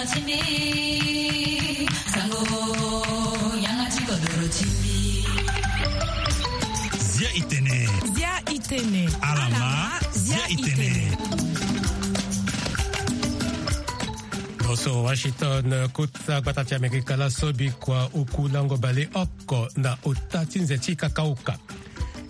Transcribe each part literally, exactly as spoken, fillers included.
Zia itene. Zia itene. Alama, zia itene. Loso Washington, kota gbata ti Amerika laso bikua oku lango bale oko na ota ti nze ti kakaoka.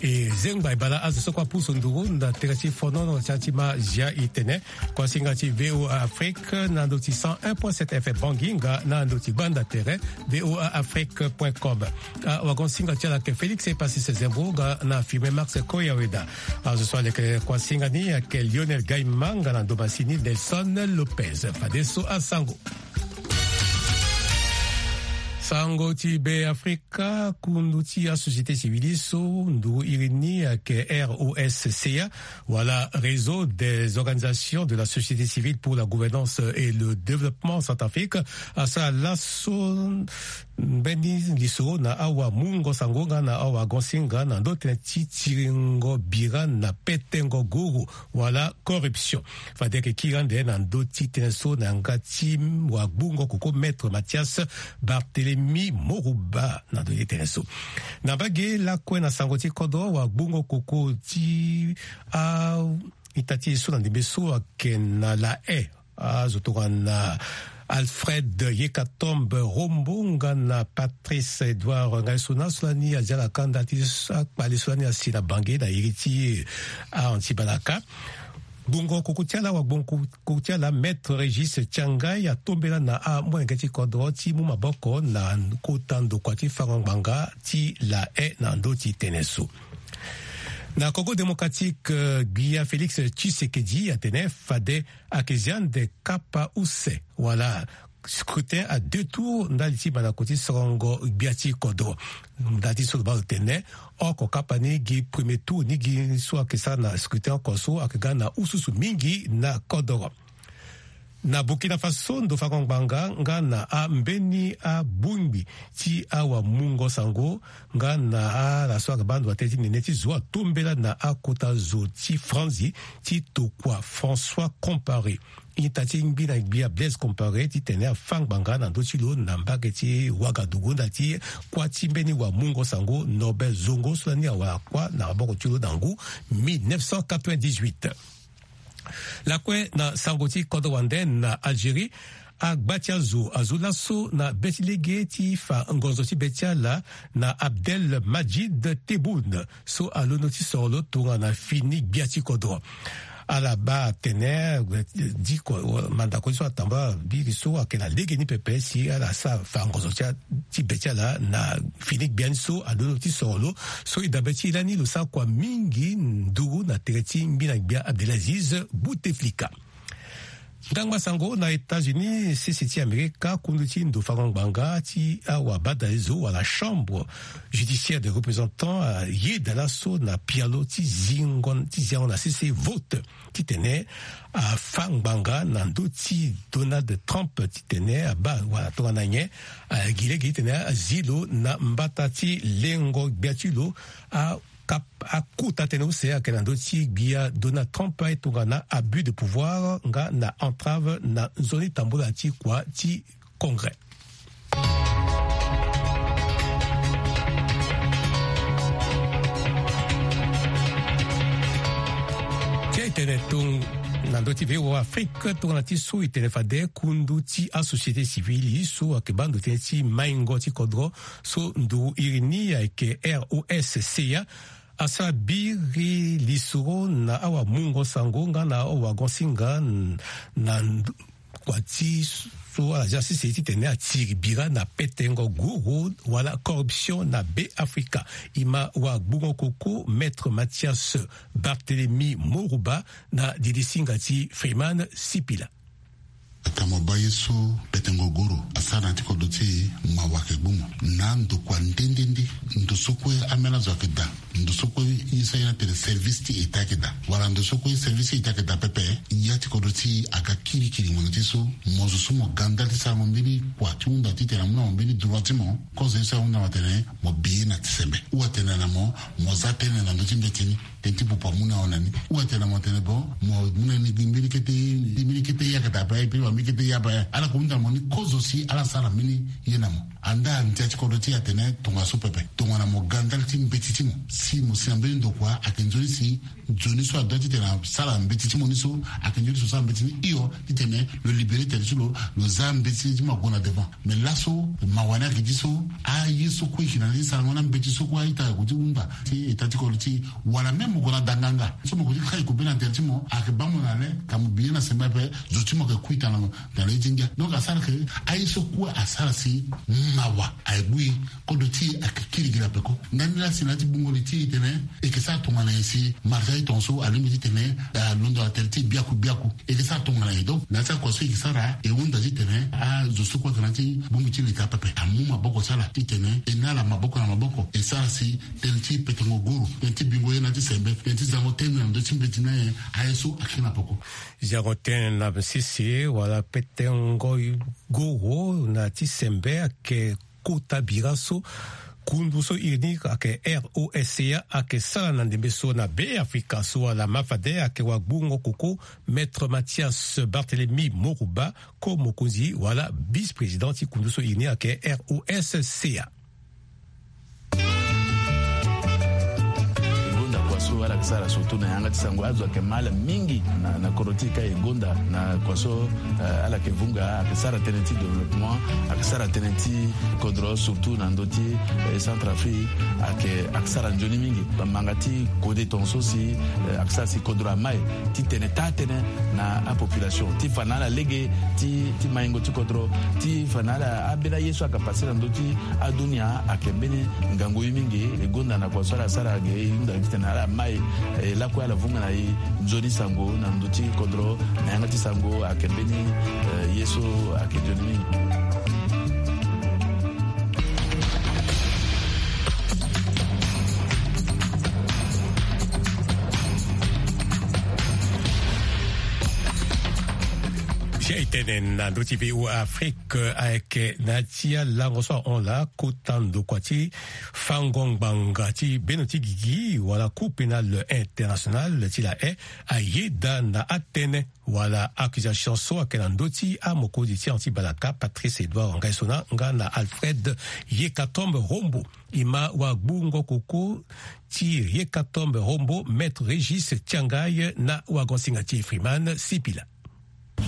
E zengba e bala azo so kue apusu nduru na tere ti fonono ti ma zia itene. Kuasinga ti V O A Afrique na ndo ti cent un point sept F M Bangui nga na ndo ti gbanda tere V O A Afrique point com. Awagonsinga ti ala ayeke Félix Epasis Zembo nga na filme Max Koyaweda. Azo so aleke kuasinga ni ayeke Lionel Gaima nga na ndo masini Nelson Lopez. Fadeso asango. Sango ti Be Afrika, kundu ti asociété civile so nduru iri ni ayeke R O S C A, wala Réseau des organisations de la société civile pour la gouvernance et le développement centrafrique, asara laso mbeni lisoro na awamungo sango nga na awagonsinga na ndo tënë ti tiringo bira na petengo guru wala corruption. Fade ayeke kiri ande na ndö ti tënë so na yanga ti wagbungo koko Maître Mathias Barthélemy Morouba na ndö ti tënë so. Na mbage lakue na sango ti kodro, wagbungo koko ti a ita ti e so na ndembe so ayeke na La Haye, azo tongana Alfred Yekatombe Rombo nga na Patrice Edouard Ngaisona so lani aza na kanda ti akpale so lani asi na Bangui na iri ti Antibalaka. Gbungo koko ti ala, wagbungo koko ti ala, Maître Régis Tiangai atombela na amolenge ti kodro ti mu maboko na kota ndokua ti fango ngbanga ti La Haye na ndö ti tënë so. Na Congo Démocratique, gbia Félix Tshisekedi atene fade ayeke zia ande kapa use wala scrutin à deux tours ndali ti mandako ti sorongo gbia ti kodro. Ndali ti so lo baa lo tene oko kapa ni gi premier tour ni gi so ayeke sara na scrutin oko so ayeke ga na ususu mingi na kodro. Na Burkina Faso, ndo fango ngbanga nga na ambeni abongbi ti awamungo sango nga na ala so ayeke baa ndo na tënë ti nene ti zo atombela na akota zo ti Franzi ti tokua François Compaoré. Ita ti ngbi na gbia Blaise Compaoré titene afa ngbanga na ndö ti lo na mbage ti Ouagadougou ndali ti kuâ ti mbeni wamungo sango Norbert Zongo so lani awara kuâ na maboko ti lo na ngu mille neuf cent quatre-vingt-dix-huit. Lakue na sango ti kodro wande na Algérie, agba ti azo azo laso na be ti lege ti fa ngonzo ti be ti ala na Abdel Madjid Tebboune so alondo ti soro lo tongana fini gbia ti kodro. Ala baa atene diko mandako ti so atambula biri so ayeke na legeni pepe si ala sara fa ngonzo ti a ti be ti ala na fini gbia ni so alondo ti soro lo. So e dabe ti e lani lo sara kua mingi nduru na tere ti ngbi na gbia Abdelaziz Bouteflika. Ndangba sango na États-Unis, sese ti Amerika, kundu ti ndo fango ngbanga ti awabadalezo wala chambre judiciaire des représentants ayeda laso na pialo ti zingo ti ziango na sese vote titene afa ngbanga na ndö ti Donald Trump titene abaa wala tongana nyen, eh, gi lege titene azi lo na mbata ti lengo gbia ti lo. A kap-, akota tënë use ayeke na ndö ti gbia Donald Trump aye tongana abus de pouvoir nga na entrave na nzoni tambula ti kua ti Congrès. Ti e tene tong-, na ndö ti V O A Afrique, tongana ti so e tene fade kundu ti asociété civile so ayeke baa ndo tënë ti maingo ti kodro so nduru iri ni ayeke R O S C A, asara biri lisoro na awamungo sango nga na awagonsinga n-, na nd-, kua ti so ala zia sese titene atiri bira na petengo guru wala corruption na Be Afrika. E ma wagbungo koko Maître Mathias Barthélemy Morouba na didi singa ti Freeman Sipila. Ata mo baa ye so petengo guru asara na ya ti kodro ti e, mawa ayeke gbu mo. Na ndokua nde nde nde, ndo so kue ambeni azo ayeke daa, ndo so kue ye so aye ni atene service ti État ayeke daa, wala ndo so kue service ti État ayeke daa pepe, ya ti kodro ti e aga kirikiri ngbanga ti so mo zo so mo ga ndali ti sarango mbeni kua ti hunda titene amu na mo mbeni droit ti mo, kozo ye so ahunda mo atene mo bi ye na ti sembe ou atene na mo mo za tënë na ndö ti mbeti ni. Tene ti popo amu na hon na ni. Ou atene na mo atene bon, mo mu na ni gi mbeni kete, mbeni kete yakata ape, e pe wa mbeni kete ya ape. Ala ko hunda na mo ni kozo si ala sara mbeni ye na mo. Anda ndia ti kodro ti e atene tongana so pepe. Tongana mo ga ndali ti mbeti ti mo. Si mo si na mbeni ndokua ayeke nzoni si nzoni so adoit titene asara mbeti ti mo ni so, ayeke nzoni so asara mbeti ni hio, titene lo libéré tene ti lo, lo za mbeti ti mo ague na devant. Mais laso, mawa ni ayeke ti so, aye so kue e yeke na ni ti sarango na mbeti so kue a-ita ayeke ti hunda ti eta ti kodro ti e. Wala même mo gue na danganga so mo yeke ti kai kobe na tere ti mo, ayeke baa mo na le, ka mo bi ye na sembe ape, zo ti mo ayeke kui tana, tana ye ti ngia. Donc asara ke, aye so kue asara si mawa aye gbu e. Kodro ti e ayeke kirikiri ape ko. Ndani laa si na ya ti bungo li ti e tene e yeke sara tongana nyen si marché ti tongaso alingbi titene alondo na tere ti e biaku biaku. E yeke sara tongana nyen? Donc na ya ti akua so e yeke sara, e hunda titene azo so kue ayeke na ya ti bongbi ti leta pepe amu maboko ti ala titene e na ala maboko na maboko e sara si tënë ti petengo guru, tënë ti bingo ye na ya ti sembe, tënë ti zango tënë na ndö ti mbeti ni aye, aye so ayeke na peko. Zango tënë na sese wala petengo guru na ya ti sembe ayeke kota bira so kundu so iri ni ayeke R O S C A ayeke sara na ndembe so na Be Afrika so wala mafade ayeke wagbungo koko, Maître Mathias Barthélemy Moruba, ko mokonzi wala vice-président ti kundu so iri ni ayeke R O S C A. E gonda kua so ala yeke sara surtout na yanga ti sango, azo ayeke ma ala mingi na, na kodro ti e ka e gonda na kua so, eh, ala yeke vunga, ayeke sara tënë ti développement, ayeke sara tënë ti kodro surtout na ndö ti, eh, Centrafrique, ayeke, ayeke sara nzoni mingi. Bamanga ti kode tongaso si, eh, ayeke sara si kodro amai titene taa tënë na apopulation ti fa na ala lege ti, ti maingo ti kodro, ti fa na ala ambeni aye so ayeke pase na ndö ti adunia ayeke mbeni ngangu ye mingi. E gonda na kua so ala sara ge e hunda titene ala mai, eh, lakue ala vunga na e nzoni sango na ndö ti kodro na yanga ti sango ayeke mbeni, eh, ye so ayeke nzoni mingi. Si aye tene na ndö ti V O A Afrique, eh, ayeke na ya ti alango so ahon laa kota ndokua ti fango ngbanga ti bendo ti gigi wala Cour pénale internationale ti La Haye ayeda na atënë wala accusation so ayeke na ndö ti amokonzi ti anti-balaka Patrice Edouard Nguessona nga na Alfred Yekatombe Rombo. E ma wagbungo koko ti Yekatombe Rombo, Maître Régis Tiangaye na wagonsinga ti e Freeman Sipila.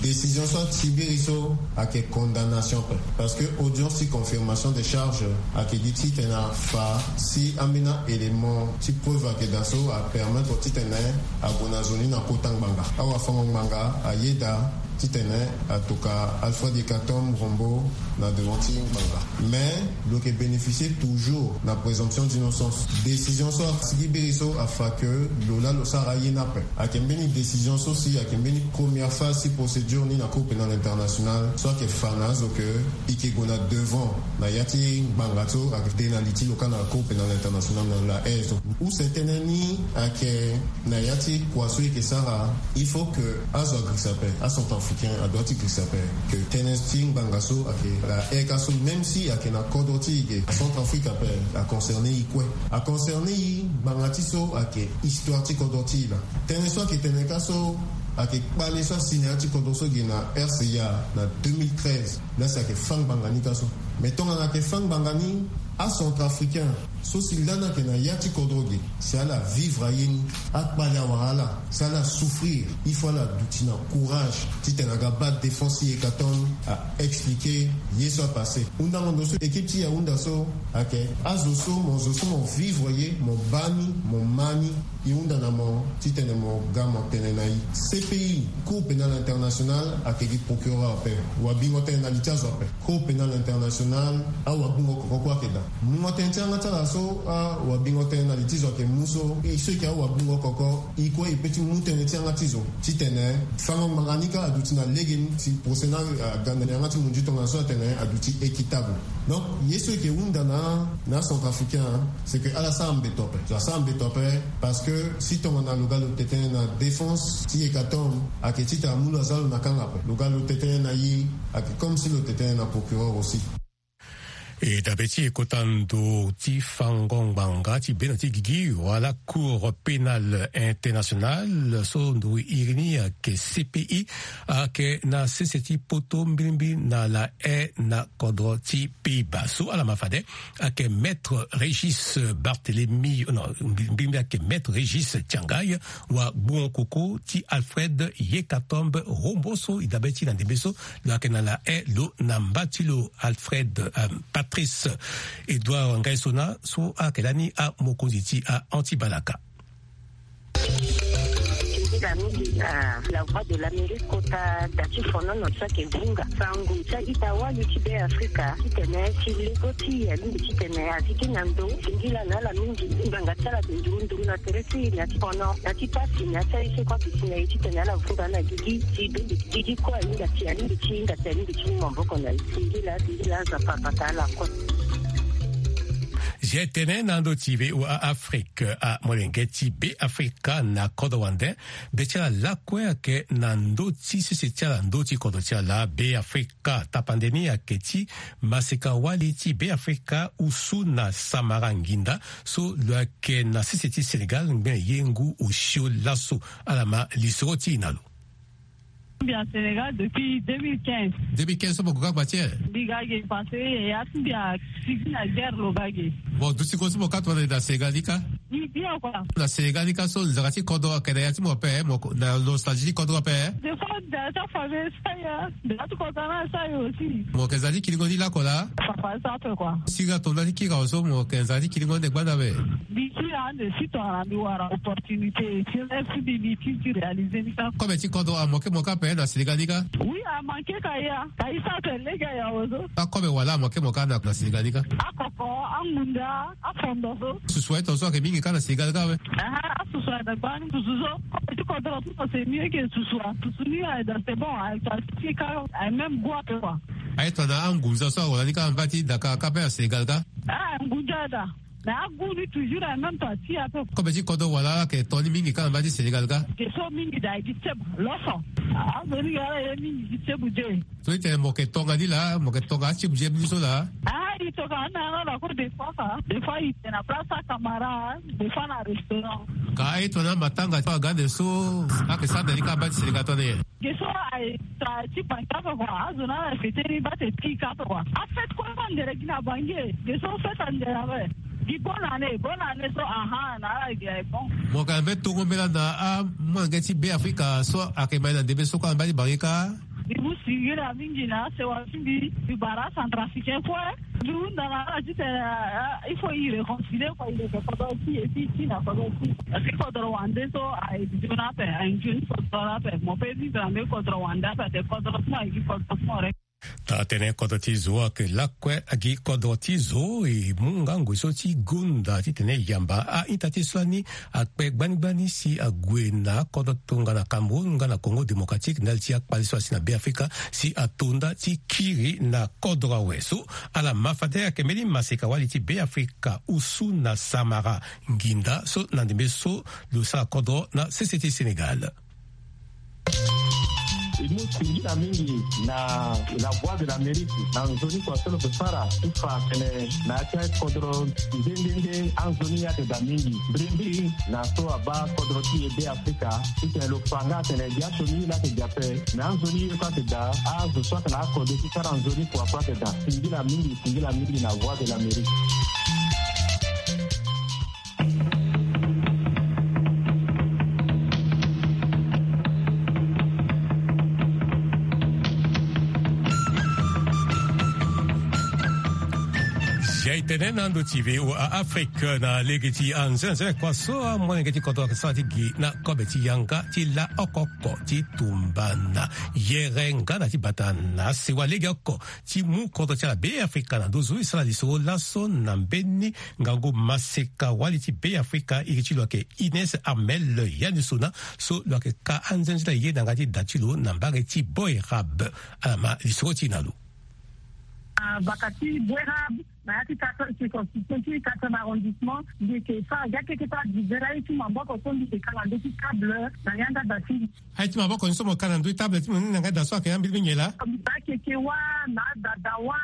Décision so atibiri so ayeke condamnation pe. Parce que audience ti confirmation des charges ayeke gi titene afa si ambeni a-élément ti preuve ayeke daa so apermettre titene ague na zo ni na kota ngbanga. Awafango-ngbanga ayeda titene atoka Alfred Yekatombe Rombo na devant ti ngbanga. Mais lo yeke bénéficier toujours na présomption d'innocence. Décision so asigi biri so afa ke lo laa lo sara aye ni ape. Ayeke mbeni décision so si ayeke mbeni première phase ti procédure ni na Cour pénale internationale so ayeke fa na azo ke e yeke gue na devant na ya ti ngbanga so ayeke de na li ti lo kâ na Cour pénale internationale na La Haye so. Use tënë ni ayeke na ya ti kua so e yeke sara, il faut que azo agirisa ape, acentrafricain adoit ti girisa ape, que tënë ti ngbanga so ayeke La Haye ka so, même si ayeke na kodro ti e ge, Centrafrique ape, aconcerné e kue. Aconcerné e ngbanga ti so ayeke histoire ti kodro ti e laa. Tënë so ayeke tene ka so ayeke kpale so asi na ya ti kodro so ge na R C A na deux mille treize. Laa si ayeke fâ ngbanga ni ka so. Mais tongana ayeke fâ ngbanga ni, acentrafricain so si lani ayeke na ya ti kodro ge, si ala vivre aye ni, akpale awara ala, si ala souffrir, il faut ala duti na courage titene aga baa défense ti Yekatombe, a expliquer ye so apasé. Hundango ndo so équipe ti Yaoundé so ayeke azo so mo, zo so mo vivre ye, mo baa ni, mo ma ni, e hunda na mo titene mo ga mo tene na e. C P I, Cour pénale internationale, ayeke gi procureur ape. Wabingo tënë na li ti azo ape. Cour pénale internationale, awagbungo koko kue ayeke daa. Mungo tënë ti yanga ti ala so, awabingo tënë na li ti zo ayeke mu so, e so e yeke awagbungo koko, e kue e pe ti mu tënë ti yanga ti zo titene fango ngbanga ni ka aduti na lege ni, si procès ni aga na yanga ti munzu tongaso atene aduti équitable. Donc ye so e yeke hunda na, na acentrafricain, c'est que ala sara mbeto ape. Zo asara mbeto ape parce que si tongana lo ga lo tene na défense ti Yekatombe, ayeke titene amu lo aza lo na kanga ape. Lo ga lo tene na e, ayeke comme si lo tene na procureur aussi. E dabe ti e kota ndo ti fango ngbanga ti bendo ti gigi wala Cour pénale internationale so ndo iri ni ayeke C P I, ayeke na sese ti poto mbilimbili na La Haye na kodro ti Pays-Bas. So ala ma fade ayeke maître Régis Barthélemy, non, mbilimbili ayeke maître Régis Tiangaye, wa gbongo koko ti Alfred Yekatombe Rombo so e dabe ti na ndembe so lo yeke na La Haye lo na mba ti lo Alfred, euh, Patrice Edouard Ngaisona so ayeke lani amokonzi ti a-anti-balaka. Mingi na mingi na La Voix de l'Amérique kota da ti fonono ti ayeke vunga sango ti a-ita-wali ti Be Afrika titene ti lego ti e alingbi titene azi gi na ndo singila na ala mingi ngbanga ti ala ayeke nduru nduru na tere ti e na ti fono na ti pasi na ti aye so kue ayeke si na e titene ala vunga na gigi ti bende gigi kue ahinga ti alingbi ti hinga ti alingbi ti mu maboko na e. Singila singila aza papata ala kue. Zia tene na ndö ti V O A Afrique, amolenge ti Be Afrika na kodro wande, be ti ala lakue ayeke na ndö ti sese ti ala ndö ti kodro ti ala. Be Afrika tapande ni ayeke ti maseka-wali ti Be Afrika Oussouna Samara Nginda so lo yeke na sese ti Sénégal ngbene ye ngu osio laso. Ala ma lisoro ti e na lo. Mbi a Sénégal depuis deux mille quinze. Deux mille quinze so mo gue kâ gba ti e? Mbi ga ge parce que yaya ti mbi asigi na guerre lo ga ge. Mo duti ko so mo kâ tongana e na Sénégal ni kâ? Mbi bien quoi. Na Sénégal ni kâ so nzara ti kodro ayeke na ya ti mo ape, mo na nostalgie ti kodro ape? Des fois da ti afamille sa ya, da ti kodro na sa yo aussi. Mo yeke za ti kiringo ni lakue laa? Papa sa ape quoi. Sira tonda ti kiri awe so mo yeke nzara ti kiringo ande gbanda ape? Mbi kiri ande si tongana mbi wara opportunité ti rêve ti mbi mbi ti ti réaliser ni kâ. Kobe ti kodro amoke mo kâ ape na Sénégal ni kâ? Oui, amanke ka ya. Ka e sa ape lege aya awe so. Akobe wala amoke mo kâ na, na Sénégal ni kâ? Akoko, angunda, afondo so. Susu aye tongaso ayeke mingi kâ na Sénégal kâ awe? Aha, asusu ayeke gbani susu so. Kobe ti kodro so c'est mieux que susu a. Susu ni aye da c'est bon, aye to asi ti kâ, aye même goût ape quoi. Aye tongana angunza so awara ni kâ na mba ti daka kâ ape na Sénégal kâ? Ah, ngunza da. Mais agu ni toujours en même temps ti ape. Kobe ti kodro wala ala yeke to ni mingi kâ na mba ti Sénégal kâ? Ge so mingi da e gi tsebu loso. Azo ni ga ala ye mingi gi tsebu de. So ti tene mo yeke tonga ni laa, mo yeke tonga atsebu je ni so laa? Ah, e tonga na ala ko des fois ka. Des fois e tene na place ti akamara, des fois na restaurant. Ka aye tongana amatanga ti aga ande so ayeke sara na ni kâ na mba ti Sénégal tongana nyen? Ge so aye tra ti bangi ape kua, azo na ala fete ni bate ti ka ape kua. Afete kue so andere gi na bangi e. Ge so fete andere ape. Gi bonne année, bonne année so, aha, na ala gi aye bon. Mo yeke na mbeni tongo mbela na amolenge ti Be Afrika so ayeke ma e na ndembe so kue na mba ti bangi kâ? Mbi mu singila mingi na asewa ti mbi, mbi bara acentrafricain kue. Mbi hunda na ala titene, ah, il faut e réconcilier kua, e yeke kodro ti e ti e ti na kodro ti e. Parce que kodro wande so aye nzoni ape, aye nzoni kodro ape. Mo peut vivre na mbeni kodro wande ape, ate kodro ti mo aye gi kodro ti mo re. Tara tënë, kodro ti zo ayeke lakue agi kodro ti zo. E mu nga ngoi so ti gonda titene e yamba a-ita ti e so lani akpe gbani gbani si ague na akodro tongana Cameroun nga na Congo Démocratique ndali ti akpale so asi na Be Afrika si ato nda ti kiri na kodro awe. So ala ma fade ayeke mbeni maseka-wali ti Be Afrika Oussouna Samara Nginda so na ndembe so lo sara kodro na sese ti Sénégal. E mu singila mingi na La Voix de l'Amérique na nzoni kua so lo yeke sara ti fa tene na ya ti akodro nde nde nde anzoni ayeke daa mingi. Mbrimbri na so abaa kodro ti e Be Afrika titene lo fa nga atene gi asioni ye laa ayeke daa ape, me anzoni ye kue ayeke daa, azo so ayeke na akode ti sara nzoni kua kue ayeke daa. Singila mingi, singila mingi na Voix de l'Amérique. Zia e tene na ndo ti V O A Afrique na lege ti anzenze kua so amolenge ti kodro ayeke sara ti gi na kobe ti yanga ti la oko oko ti tumba na yere nga na ti bata na asewa lege oko ti mu kodro ti ala Be Afrika na nduzu. E sara lisoro laso na mbeni ngangu maseka-wali ti Be Afrika, iri ti lo ayeke Ines Armel Yanisona so lo yeke ka anzenze na ye na yanga ti da ti lo na mbage ti Boerab. Ala ma lisoro ti e na lo. Ah, baka ti Boerab, Na ya ti quatrième circonscription ti quatrième arrondissement, mbi yeke sara gi akeketa divers aye ti maboko so mbi yeke kanga ndö ti table na yanga da ti mbi. Aye ti maboko ni so mo ka na ndö ti table ti mo ni na yanga da so ayeke ambeni mingi laa? Mbi baa akeke wâ na adada wâ,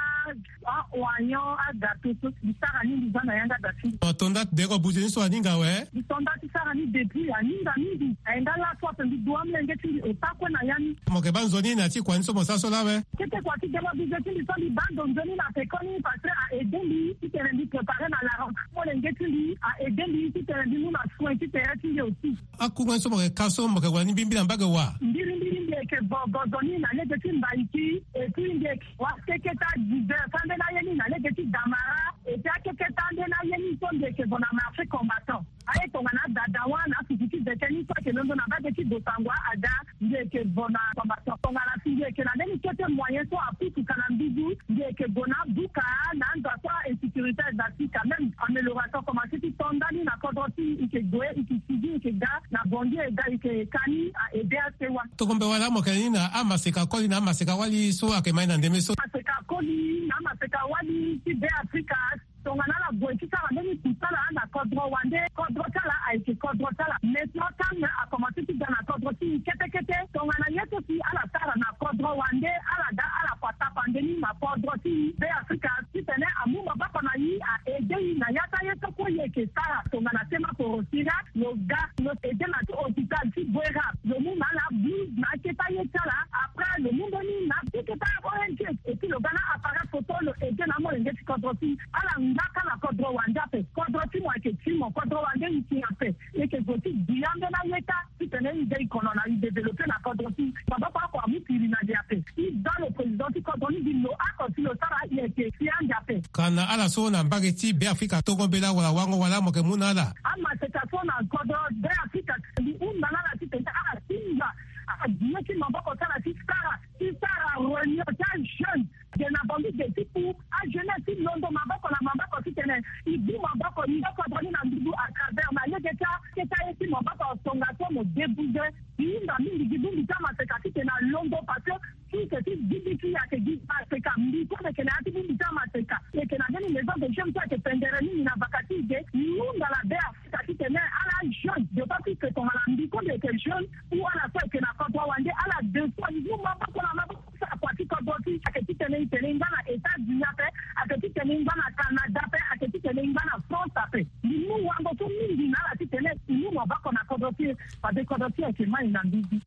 a-oignon, agâteau so mbi sara ni mbi za na yanga da ti mbi. Mo to nda ti deko buze ni so aninga awe? Mbi to nda ti sara ni depuis aninga mingi. Aye nga laso ape mbi du amolenge ti mbi ota kue na ya ni. Mo yeke baa nzoni na ti kua ni so mo sara so laa awe? Kete kua ti dema buze ti mbi so mbi baa ndo nzoni na peko ni parce que a aidé mbi titene mbi préparer na la rentrée. Molenge ti mbi a aidé mbi titene mbi mu na soin ti tere ti mbi aussi. Akunga ni so mo yeke ka so mo yeke wara ni mbirimbiri na mbage wa? Mbirimbiri mbi yeke vo gozo ni na lege ti Mbaïki, et puis mbi yeke wa keketa divers ambeni aye ni na lege ti Damara, et puis akeketa ambeni aye ni so mbi yeke vo na marché combattant. Aye tongana adada wâ na afufu ti veke ni so ayeke londo na mbage ti Bossangoa ada, mbi yeke vo na combattant. Tongana si mbi yeke na mbeni kete moyen so apusu ka na mbizi, mbi yeke gue na abuka na anza so a-insécurité aye daa ti quand même amélioration commencé ti to ndani na kodro ti e, e yeke gue, e yeke sigi, e yeke ga na Bangui, e ga e yeke ka ni a aidé asewa. Tongombe wala mo yeke na ni na amaseka koli na amaseka wali so ayeke ma e na ndembe so? Amaseka koli na amaseka wali ti Beafrika. Tongana ala gue ti sara mbeni kusala na kodro wande, kodro ti ala ayeke kodro ti ala. Maintenant, calme akomanse ti ga na kodro ti e kete kete. Tongana ye so si ala sara na kodro wande, ala ga ala kua tapande ni na kodro ti Beafrika titene amu maboko na e, a aidé e na ya ti aye so kue e yeke sara. Tongana sema porosi nga, lo ga, lo aidé na ti hôpital ti Bouérab, lo mu na ala blouse na akete aye ti ala. Après, lo mu mbeni na akete a-O N G, et puis lo ga na appareil photo, lo aidé na amolenge ti kodro ti e. Ala ngba kâ na kodro wande ape. Kodro ti mo ayeke ti mo, kodro wande e yeke ape. E yeke zo ti gbi ambeni aye kâ titene e ga e kono na e développé na kodro ti e. Maboko oko amu kiri na li ape. E za lo président ti kodro ni gi lo oko si lo sara, e yeke si ande ape. Ka na ala so na mbage ti Beafrika, tongombe laa wala wango wala mo yeke mu na ala? Amaseka so na kodro Beafrika, mbi hunda na ala titene ala tinga, ala gi ye ti maboko ti ala ti sara, ti sara réunion ti ajeune. Ge na Bangui ge ti ku ajeunesse ti londo maboko na maboko titene e bu maboko, e nda kodro ni na nduzu à travers na lege ti akete aye ti maboko tongaso mo débouze. E hinga mingi gi bongbi ti amaseka titene alondo parce que ti yeke ti gigi ti e ayeke gi maseka. Mbi so mbi yeke na ya ti bongbi ti amaseka, e yeke na mbeni maison de jeunes so ayeke pendere mingi na vaka ti e ge. E hunda na Beafrika titene ala jeune, d'autant plus que tongana mbi so mbi yeke jeune ou ala so ayeke na kodro wande, ala deux fois e mu maboko na maboko. Sa kua ti kodro ti e ayeke titene e tene e ngba na États-Unis ape, ayeke titene e ngba na Canada ape, ayeke titene e ngba na France ape. Mbi mu wango so mingi na ala titene e mu maboko na kodro ti e, fade kodro ti e ayeke mai na mbizi.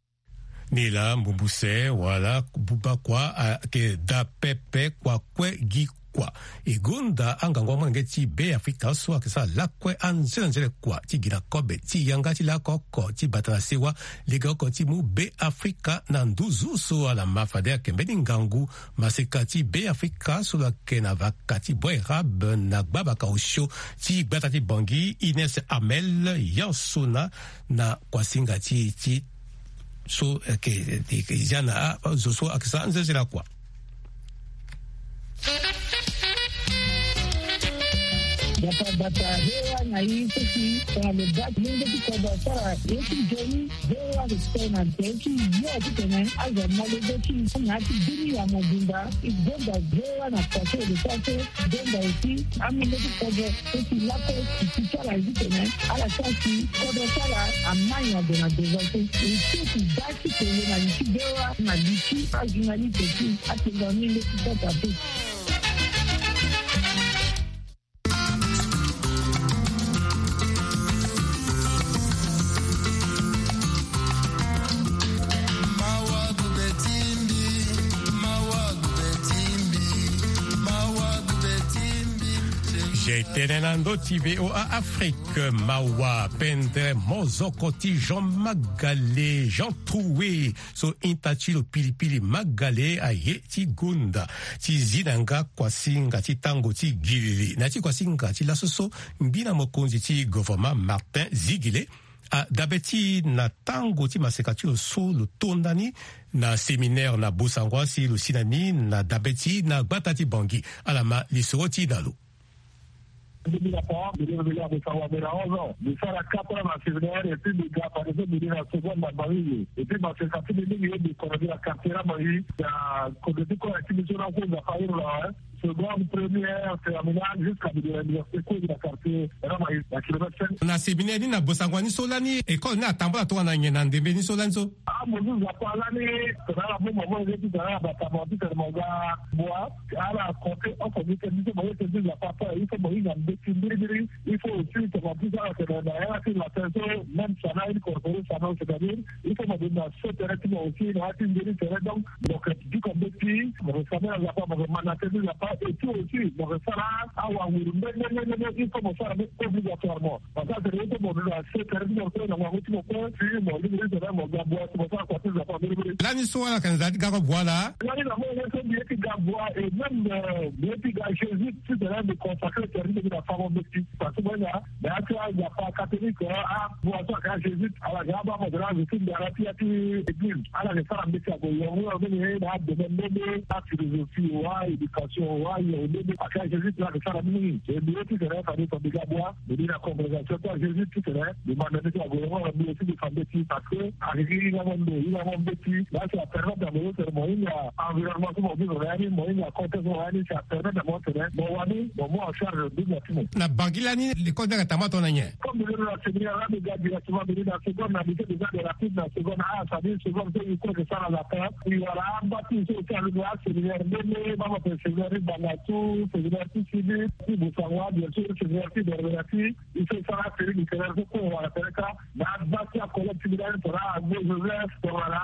Ni laa mbumbu se wala buba kua ayeke daa pepe kua kue gi kua. E gonda angangu amolenge ti Beafrika so ayeke sara lakue anzenanzene kua ti gi na kobe ti yanga ti lako oko ti bata na sewa lege oko ti mu Beafrika na nduzu so ala ma fade ayeke mbeni ngangu maseka ti Beafrika so lo yeke na vaka ti Bouérab na gbabaka osio ti gbata ti Bangui, Ines Amel, Yansona, na kuasinga ti e ti so, eh, ke, ke, ke, zia na, ah, zo so ayeke sara nzenzela kua. Bata bata, hewa na ye so si tongana lo baa ti lenge ti kodro asara ye ti nzoni. Hewa ayeke tene na tere ti yo titene azo ama lege ti e na ya ti bini ya mobimba. E gonda hewa na kua so e lo sara so. Gonda aussi amolenge ti kodro so si lakue ti ti ti ala ye titene ala sara si kodro ti ala amai na gue na devant so. E so si baa ti pele na li ti bewa na li ti ajournaliste ti atengua ni nde ti sasa so. J'étais na ndö ti V O A Afrique, mawa pendere mozoko ti Jean Magale, Jean Troué, so ita ti lo pilipili Magale aye ti gonda ti zi na yanga kuasinga ti tango ti gilili. Na ya ti kuasinga ti laso so, ngbina mokonzi ti gouvernement Martin Ziguilé adabe ti e na tango ti maseka ti lo so lo to ndani na séminaire na Bossangoa si lo si na ni na dabe ti e na gbata ti Bangui. Ala ma lisoro ti e na lo. Mbi na Pawa, mbi revenu à Bossangoa, mbi na onze ans. Mbi sara quatre ans na séminaire, et puis mbi ga fade so mbi ri na seconde na Bangui. Et puis maseka ti mbi mingi ye mbi kono mbi na quartier na Bangui. Na kozo ti kue na ti mbi so na so Nzapa ahiri lo awe. seconde, première, terminale, jusqu'à de l'université, cours de la quartier, vraiment, la kilomètre cinq. Na séminaire ni na bosango ni so lani école ni atambula tongana nyen na ndembe ni so lani so? Ah, mo zo Nzapa lani, tongana mo mama, mo zo ti tongana batama ti tene mo ga bwa, ala compter oko ni tene, mo zo ti Nzapa, il faut mo hinga mbeti mbirimbiri, il faut aussi tongana ti ala tene na ya ti latin so, même ça na incorporé ça, non, c'est-à-dire, il faut mo donner ce terrain ti mo aussi, na ya ti mbeti terrain, donc, donc, du coup, mbeti, mo ressemble à Nzapa, mo manate ti Nzapa, et puis aussi, mo resala awa nguru, mais, mais, mais, mais, mais, il faut mo sara, mais obligatoirement. Parce que c'est le fait que mo doit se faire dire que na mo ti mo pe, si mo lingbi ti mo ga bwa, si mo sara kua ti Nzapa mbirimbiri. Lani so ala yeke na nzara ti ga bwa laa? Lani na mo ye so mbi ye ti ga bwa, et même, euh, mbi ye ti ga Jésus, ti tene mbi consacré service ti mbi na fango mbeti. Parce que mo ye na, na ya ti aNzapa catholique, ah, bwa so ayeke aJésuite, ala ga abaa mo tene azo ti ndara ti ya ti église. Ala yeke sara mbeti ague yongo yongo ni na adomaine nde nde, aphilosophie wa, éducation wa, yongo nde nde. Ayeke aJésuite la ayeke sara mingi. Et mbi ye ti tene fade so mbi ga bwa. Mbi ni na congrégation ti aJésuite ti tene, mbi manda ni ti ague yongo na mbi aussi mbi fa mbeti parce que ayeke gi hingango ndo, hingango mbeti. Là, ça permet na mo tene mo hinga environnement so mo vivre na ya ni, mo hinga contexte so mo na ya ni, ça permet na mo tene mo wani, mo mu en charge ndinga ti mo. Na Bangui lani, l'école ni ayeke tambula tongana nyen? Comme mbi londo na séminaire la, mbi ga directement, mbi ni na seconde, na lycée des Arts et Rapide, na seconde A, c'est-à-dire seconde so i kue yeke sara latin. I wara amba ti so ti alundu aséminaire nde nde, baa mo tene séminaire ti Bangassou, séminaire ti Sidi, ti Boussangwa, bien sûr, séminaire ti Berbera ti. I so sara série littéraire so kue wara tene ka, na baa ti acollègue ti mbi lani, tongana Agbo Joseph, tongana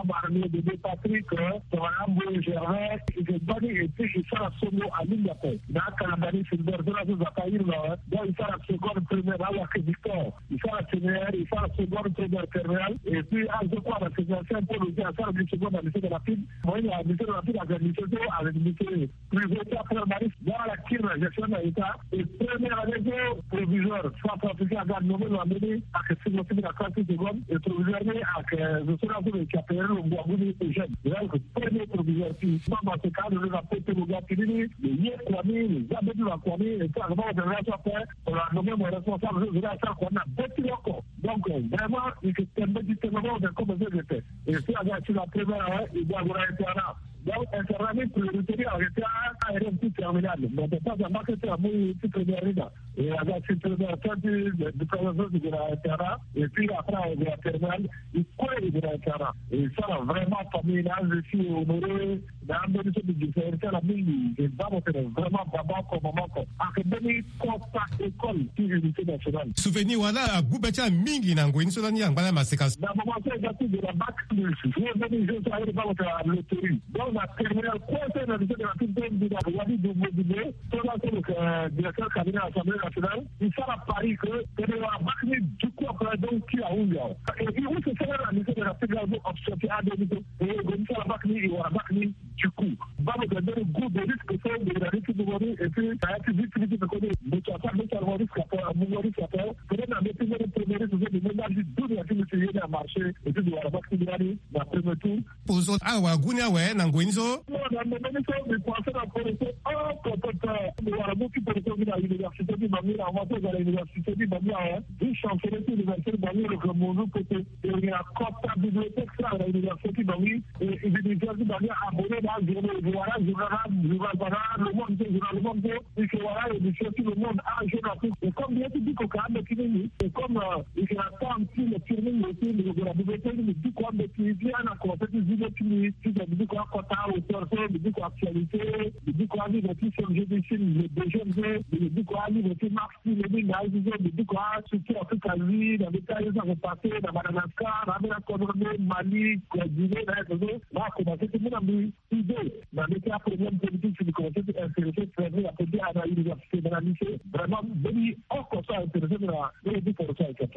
Abarmio Bébé Patrick, tongana Mboye Gervais, i ke baa ni, et puis i sara songo alingbi ape. Na akalamba ni Filbert so laa so Nzapa ahiri lo awe. Donc i sara seconde, première, awake Victor. I sara séminaire, i sara seconde, première, terminale. Et puis azo kue na séminaire Saint Paul aussi asara ni seconde na lycée de la Pine. Mo ye na lycée de la Pine, avec lycée so, avec lycée privé ti Pierre Marie, dans la kiri na gestion na État, et première année so proviseur, Centrafricain aga nommé lo na mbeni, ayeke ti mo ti mbi na classe ti seconde, et proviseur ni ayeke zo so laa so lo yeke appelé lo ngu agu ni Eugène. Lo yeke premier proviseur ti. Mama so ka lo lo na pote lo ga fini ni, lo ye kua ni, lo za mbeni lo na kua ni, et puis ayeke mama tene la so ape, lo na nommé mo responsable so zo laa asara kua ni na be ti lo oko. Donc vraiment, i yeke tene mbeti tene mama tene comme so i yeke tene. Et puis aga ti la première année, i ga gue na internat. Donc internat ni priorité ni ayeke ti a-, élève ti terminale. Mais de temps en temps que ti amu ti première ni na. Et aga ti première, ti, ti, ti première so ti gue na internat. Et puis après ague na terminale. I kue i gue na internat. Et i sara vraiment famille na azo ti honoré. Na ambeni so mbi gi sara ti ala mingi. E baa mo tene vraiment baba oko, mama oko. Ayeke mbeni kota école ti unité nationale. Souvenir wala agu be ti ala mingi na ngoi ni so lani angba na maseka. Na moment so e ga ti gue na bac plus, ye mbeni jeu so aye baa mo tene na loterie. Donc na terminale kue so na lycée de la Pine so mbi na wani double double. So laa so lo yeke directeur cabinet assemblée nationale. I sara pari que tene wara bac ni du coup après, donc ti ahunzi awe. Et puis use sara na lycée de la Pine laa so option ti ade ni so. E gue ni sara bac ni, i wara bac ni. Du coup, baa mo tene mbeni goût de risque so mbi na ni ti mungo ni, et puis na ya ti vie ti mbi ti peko ni, mbi ti asara mbi ti mungo risque ape, mungo risque ape. Peut-être na mbi ti mbeni premier risque so mbi mu nda ti dunia ti mbi ti ye ni amarché, et puis mbi wara bac ti mbi lani na premier tour. Pour so ala wara gu ni awe na ngoi ni so. Non, na ndembe ni so mbi pensé na poro so oko peut-être mbi wara mu ti poro so mbi na université ti Bangui, na moment so mbi na université ti Bangui awe, vice chancelier ti université ti Bangui lo yeke mu nzu pote. E na kota bibliothèque so ayeke na université ti Bangui. E, e, mbi na université ti Bangui, abonné na ajournaux, e wara ajournal, ajournal, wara Le Monde so, journal Le Monde so, e yeke wara aédition ti Le Monde, ajournal so. E comme mbi ye ti biko ka ambeti ni ni. E comme, euh, e yeke na temps ti lecture mingi aussi, mbi yeke gue na bibliothèque, mbi biko ambeti ti ala na conseil ti zi mbeti ni, ti mbi biko akota auteur so, mbi biko actualité, mbi biko alivre ti C M G ti Chine, Le Deuxième so, mbi biko alivre ti Marx. Ti lo ni na azo so mbi duku astructure Afrique azi na mbeti aye so ayeke passé na Madagascar, na ambeni akodro nde Mali, Guinée, na aye so, na akomanse ti mu na mbi idée na mbeti aproblème politique, si mbi komanse ti intéressé très bien na politique, na université, na lycée. Vraiment mbeni oko so aintéressé mbi na mbeni ti poro so ayeke.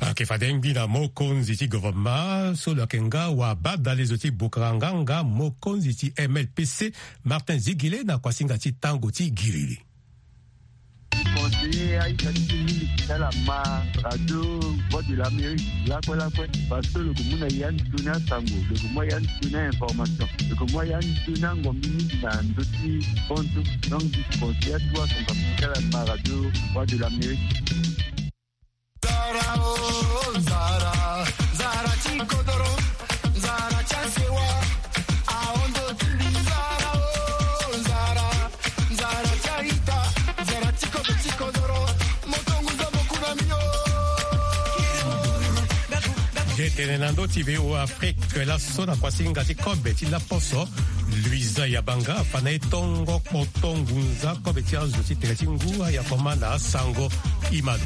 Ayeke fade ngbi na mokonzi ti gouvernement so lo yeke nga wabadale zo ti Boukranganga, mokonzi ti M L P C, Martin Zigile, na kuasinga ti tango ti giriri. Conseiller aita ti mingi ti ala ma radio Voix de l'Amérique lakue lakue, parce que lo ke mu na ya nzoni asango, lo ke mu ya nzoni a-information, lo ke mu ya nzoni angombi mingi na ndö ti konso. Donc, conseiller atu asango ti ala ma radio Voix de l'Amérique. Nzara, oh, nzara, nzara ti kodoro, nzara ti asewa, ahondo ti mbi, nzara, oh, nzara. Tene na ndö ti V O A Afrique, laso na kuasinga ti kobe ti laposo, Luisa Yabanga afa na e tongo kpoto ngunza kobe ti azo ti tere ti ngu ayakoma na asango. Imalo.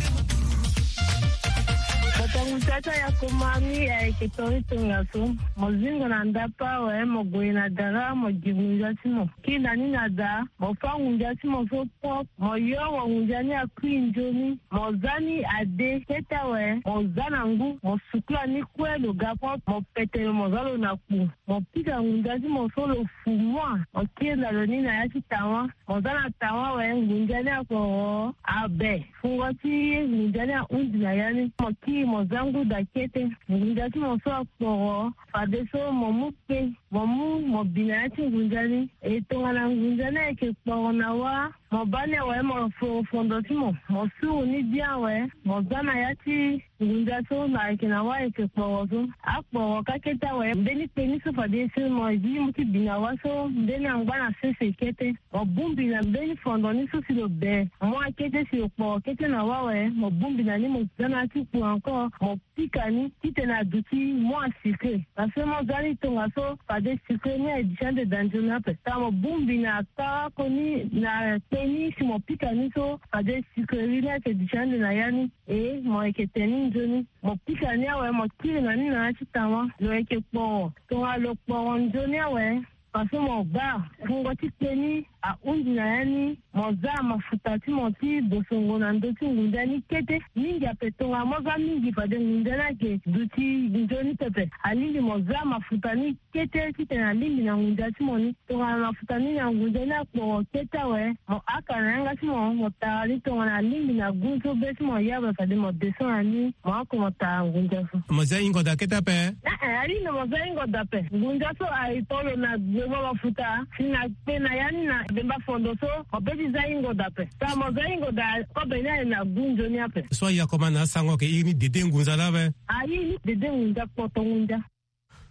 Kpoto ngunza ti ayakoma ni ayeke tonga ti tongaso. Mo zingo na ndapa awe, mo gue na dara, mo gi ngunza ti mo. Kiri na ni na da, mo fâ ngunza ti mo so propre, mo yongo ngunza ni akui nzoni, mo zia ni ade kete awe, mo zia na ngu, mo sukula ni kue lo ga propre, mo pete lo, mo zia lo na kpu, mo pika ngunza ti mo so lo fu mua, mo kiri na lo ni na ya ti tawa, mo zia na tawa awe, ngunza ni akporo abe, fungo ti ngunza ni ahundi na ya ni, mo kiri mo zia ngu da kete, ngunza ti mo so akporo, fadeso mo mu kpe, mo mu mo bi na ya ti ngunza ni. E tongana ngunza ni ayeke kporo na wa, mo baa ni awe, mo foro fondo ti mo, mo suru ni bien awe, mo zia na ya ti ngunza so na ayeke na wa ayeke kporo so. Akporo ka kete awe, mbeni kpe ni so fade si mo zi mo ti bi na wa so, mbeni angba na sese kete. Mo bongbi na mbeni fondo ni so si lo be mua kete, si lo kporo kete na wa awe, mo bongbi na ni, mo zia na ya ti kpu encore, mo pika ni titene aduti mua sucre. Parce que mo zia ni tongaso fade sucre ni aye duti ande daa nzoni ape. Tongana mo bongbi na kâ koni na kpe ni si mo pika ni so, fade sucrerie ni ayeke duti ande na ya ni. E mo yeke tene ni nzoni. Mo pika ni awe, mo kiri na ni na ya ti tawa. Lo yeke kporo. Tongana lo kporo nzoni awe, parce que mo baa fungo ti kpe ni ahundi na ya ni, mo zia mafuta ti mo ti bosongo na ndö ti ngunza ni kete. Mingi ape, tongana mo zia mingi fade ngunza ni ayeke duti nzoni pepe. Alingbi mo zia mafuta ni kete titene alingbi na ngunza ti mo ni. Tongana mafuta ni na ngunza ni akporo kete awe, mo haka na yanga ti mo, mo tara ni tongana alingbi na gu so be ti mo ya awe, fade mo descend na ni, mo oko mo tara ngunza so. Mo zia hingo da kete ape? Eh, eh, alingbi mo zia hingo da ape. Ngunza so aye tolo na gbengba mafuta, si na kpe na ya ni na gbengba fondo so, mo peut ti zia hingo da ape. Tongana mo zia hingo da, kobe ni aye na gu nzoni ape. So ayakoma na asango ayeke iri ni dede ngunza laa ape? Aye iri ni dede ngunza, kpoto ngunza.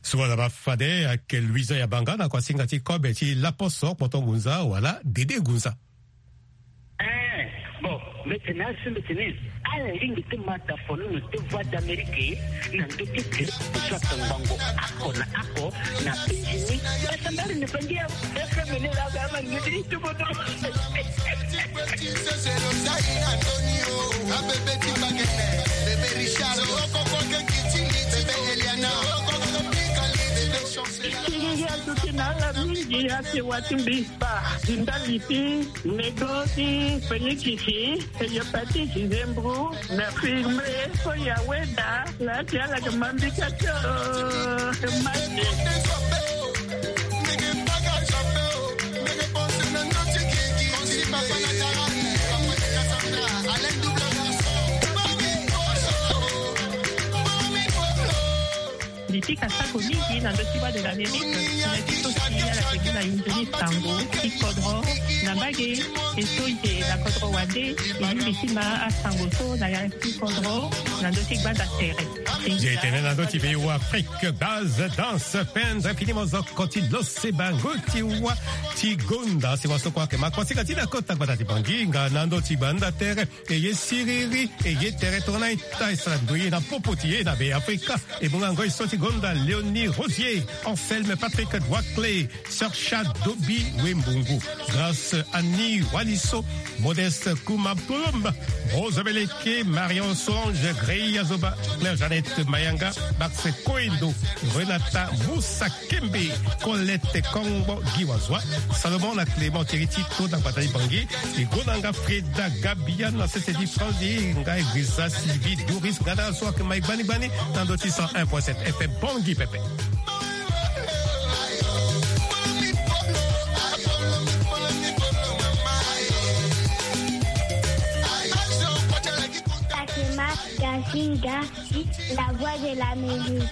Suala baa fade ayeke Luisa Yabanga na kuasinga ti kobe ti laposo, kpoto ngunza wala dede ngunza. Eh, bon, mbeti na asi mbeti ni. Ala lingbi ti ma ta fono na ti Voix d'Amérique na ndö ti ti so atongbango ako na ako na peti ni. Asambari ni pangia F M ni la ga ma ni ti bodo. Siriri aduti na ala mingi ake wati mbi ba di ndali ti nego ti penikisi, hepatite, nzembru, na infirmier so ya weda la ti ala ke mambika tio. Mande. Mbi pika sako mingi na ndö ti Voix de l'Amérique, na ti so si ala ke gi na yo nzoni sango ti kodro na mbage, e so e yeke na kodro wande, e lingbi ti ma asango so na ya ti kodro na ndö ti gbanda tere. Ye tene na ndö ti V O A Afrique, base, danse, pendre, fini mozoko ti lose bango ti wa ti gonda. Si wa so kue ayeke ma kua si ka ti na kota gbanda ti Bangui nga na ndö ti gbanda tere. E ye siriri, e ye tere tongana e ta e sara ndo ye na popo ti ye na Be Afrika. E bonga ngoi so ti gonda Léonie Rosier, Anselme Patrick Douaclé, Sir Chad Dobi Wembungu, Grâce Annie Waliso, Modeste Kuma Plombe, Rose Beleke, Marion Songe, Grey Azoba, Claire Jeannette Mayanga, Max Koendo, Renata Moussa Kembe, Colette Kongbo, Guy Wazwa, Salomon na Clément Teriti, to na gbata ti Bangui, e gonda nga Freda Gabia na sese ti Franzi, nga Egrisa Sylvie Doris, nga na so ayeke ma e gbani gbani na ndö ti cent un point sept F M Bangui pepe. Fatima Gazinga, la voix de l'Amérique.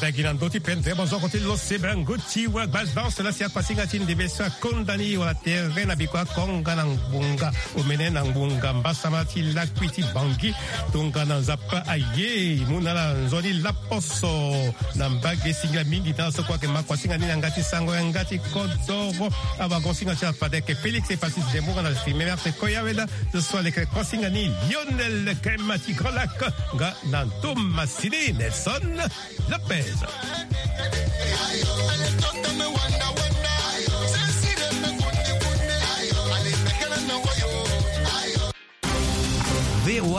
Bagi na ndö ti pendere bozoko ti lo sebe na ngu ti wa gbas danse la si akuasinga ti ndebe so akonda ni wala tere na biko akonga na ngbonga omene na ngbonga mbasama ti lakui ti bangi. Tongana nzapa aye mu na ala nzoni laposo na mbage singila mingi na so kue ayeke ma kuasinga ni na yanga ti sango yanga ti kodoro. Awagonsinga ti ala fade ayeke Félix Epasis Dembonga na Fimemerte Koyaweda. Ce soir leke kuasinga ni Lionel Kema ti Grand Lac nga na Thomas Sini Nelson Lopez.